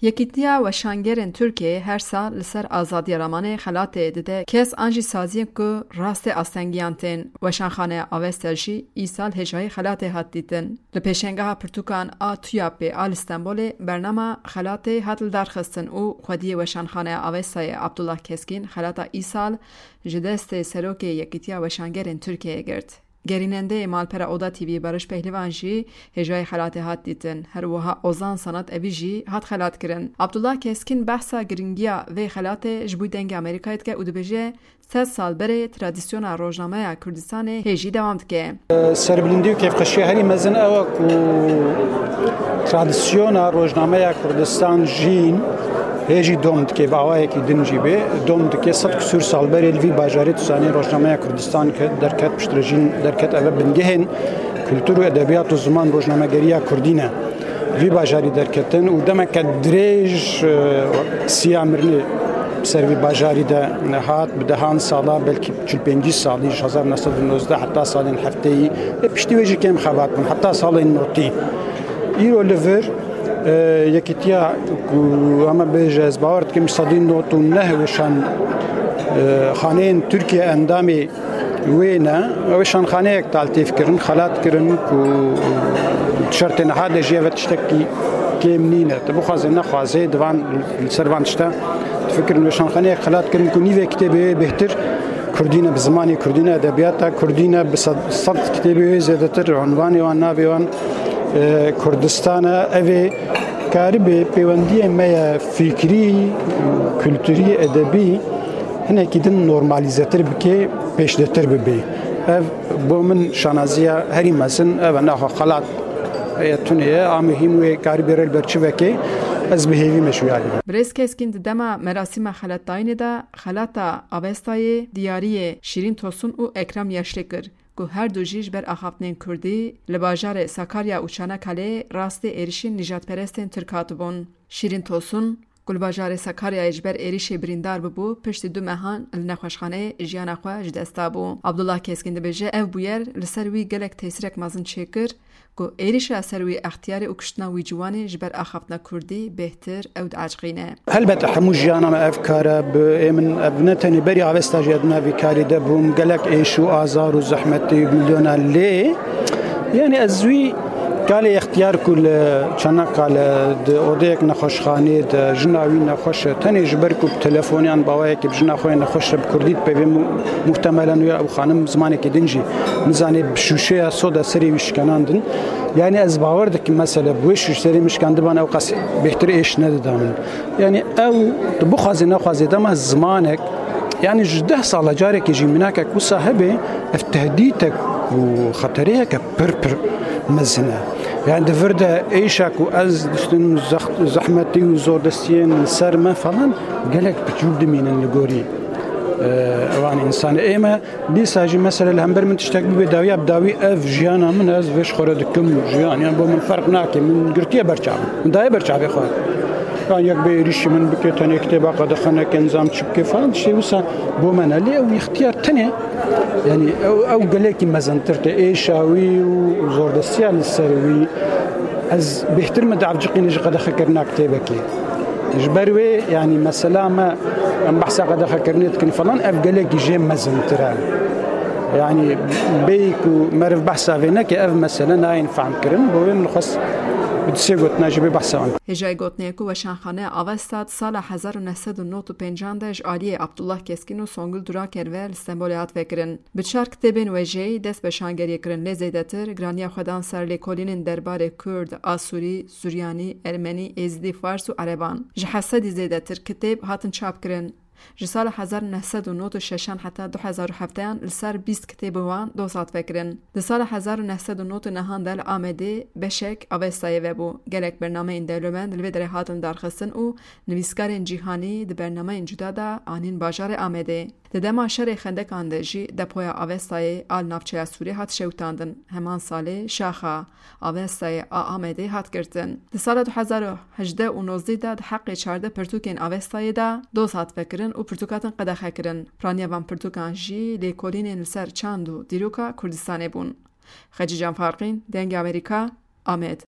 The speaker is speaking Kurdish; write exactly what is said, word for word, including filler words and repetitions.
Yekîtiya Weşangerên Tirkiyeyê her sal li ser azadiya ramanê xelatê dide kes an jî saziyên ku rastê astengiyan tên. Weşanxaneya Avesta jî îsal hêjayî xelatê hat dîtin. Li pêşengeha pirtûkan a TUYAPê a li Stenbolê bernama xelatê hat lidarxistin û xwediyê Weşanxaneya Avestayê Abdullah Keskîn xelata îsal ji destê Serokê Yekîtiya Weşangerên Tirkiyeyê girt. Gerînendeyê malpera Oda T V Barış Pehlivan jî hêjayî xelatê hat dîtin. Her wiha Ozan Sanat Evî jî hat xelatkirin. Abdullah Keskîn behsa giringiya vê xelatê ji bo Dengê Amerîkayê dike û dibêje, sed sal berê tradisyona rojnameya Kurdistanê hêjî dewam dike. Serbilindî û kêfxweşiya herî mezin ew e ku tradisyona rojnameya Kurdistan jîn hê jî dom dike, bi awayekî din jî bê dom dike. Sed küsur sal berê li vî bajarê tu zanî rojnameya Kurdistan ke derket, piştre jîn derket, eve bingehên kultur û edebiyat û ziman, rojnamegeriya kurdî ne. Vî bajarî derketin û demeke dirêj, e, siya mirinê ser vî bajarî de hat, bi dehan sala, belkî çil pêncî salî, ji hezar neh sed û nozdeh heta salên hefteyî, e, piştî wê jî kêm xebat bûn, heta salên notî. Îro li vir, e, yekîtiya ku em ê bêje, ez bawer dikim sedî nod û neh weşan, e, xaneyên Tirkiye endamê wê ne. Ew weşanxaneyek taltîf kirin, xelat kirin ku şertê niha de jî eve tiştekî kêm nîne. Tu bixwazê nexwazê, di van, li ser van tişta difikirin. Weşanxaneyek xelat kirin ku nîvê kitêbê wê bêhtir Kurdî ne, bi zimanê Kurdî ne, edebiyata Kurdî ne, bi sed, sed kitêbê wê zêdetir, unvanê wan, navê wan, e, Kurdistan e. Ev ê karibê pêwendiyê me ye fikrî, kulturî, edebî hinekî din normalîzetir bike, pêşdetir bibe. Ev bo min şanaziya herî mezin, ev e, naxwe xelat ye, tunê ye, a muhîm wê karibê rê li ber çi veke, ez bi hêvî meşûyarî me. Birêz Keskîn di dema merasîma xelatdayînê de xelata Avestayê diyariyê Şîrîn Tosun û Ekrem Yaşlî kir, ku her du jî ji ber axaftinên kurdî li bajarê Sakarya û Çanakaleyê rastê êrişên nîjadperestên Tirk hatibûn. Şîrîn Tosun, ku li bajarê Sakaryayê ji ber êrişê birîndar bibû, piştî du mehan li nexweşxaneyê jiyana xwe ji dest dabû. Abdullah Keskîn dibêje, ev bûyer li ser wî gelek tesîrek mezin çêkir, ku êrişa ser wî extiyarê û kuştina wî ciwanê ji ber axaftina kurdî bêhtir ew diaciqîne. Helbet hemû jiyana me ev kar e, bi ê min ev ne tenê berî Avesta jî ez di nav vî karî de bûm, gelek êş û azar û zehmetî û milyona lê, yanî ez wî kalê extiyar ku li Çanakale di odeyek nexweşxanê de jina wî nexweş e, tenê ji ber ku bi telefonê yan bi awayekî bi jina xwe yê nexweş re bi kurdî dipeyvê, mu-, muhtemelen wê ew xanim zimanekî din jî nizanê, bi şûşeya soda serê wî şikenandin. Yanî ez bawer dikim, mesele bi wê şûşerê min şikandiban, ew qas bêhtir êş nedida min. Yanî ew, tu bixwazê nexwazê, dema zimanek, yanî ji deh sala carekê jî mînakek wisa hebe, ev tehdîtek û xetereyeke pir pir mezin e. Yanî di vir de êşa ku ez diştim zex-, zehmetî û zordestiyên li ser me falan gelek piçûk dimînin li gorî, e, ewan însanê. Ê me dîsa jî mesele li hember min tiştek bibe dawiya bi dawî, ev jiyana min e, ez vê ji xwe re dikim jiyan. Yanî bo min ferq nake, min girtiye ber çav, min daye ber çavê xwe. Yan yek bê êrîşî min bike, tenê kitêba qedexe neke, nizam çi bike falan, tiştê wisa bo me ne. Lê ew îxtiyar tenê, yanî ew, ew gelekî mezintir tê. Êşa wî û zordestiya li ser wî, ez bêhtir min diavciqîne ji qedexekirina kitêbekê. Ji ber wê, yanî mesela me, em behsa qedexekirinê dikin falan, ev gelekî jê mezintir e. Yanî bêyî ku meriv behsa vê neke, ev mesele nayên fehmkirin. Bo wê min xwest bi du sê gotina jî bê behsa wan. Hêjayî gotinê ye ku Weşanxaneya Avesta di sala hezar û neh sed û nod û pêncan de ji aliyê Abdullah Keskîn û Songül Duraker ve li Stenbolê hat vekirin. Bi çar kitêbên wêjeyî dest bi şangeriyê kirin, lê zêdetir giraniya xwe dan ser lêkolînên derbarê Kurd, Asûrî, Suryanî, Ermenî, Êzidî, Fars û Ereban. Ji heşt sedî zêdetir kitêb hatin çapkirin. Ji sala hezar û neh sed û nod û şeşan heta du hezar û hefteyan li ser bîst kitêbên wan doz hat vekirin. Di sala hezar û neh sed û nod û nehan de li Amedê beşek Avestayê vebû. Gelek bernameyên dewlemend li vê derê hatin darxistin û nivîskarên cîhanî di bernameyên cuda de anîn bajarê Amedê. Di dema şerê xendekan de jî depoya Avestayê a li navçeya Sûrê hat şewitandin. Heman salê şaxa Avestayê a Amedê hat girtin. Di sala du hezar û hejdeh û nozdeh de di heqê çardeh pirtûkên Avestayê de doz hat vekirin û pirtûk hatin qedexe kirin. Piraniya van pirtûkan jî lêkolînên li ser çand û dîroka Kurdistanê bûn. Xecîcan Farqîn, Dengê Amerîka, Amed.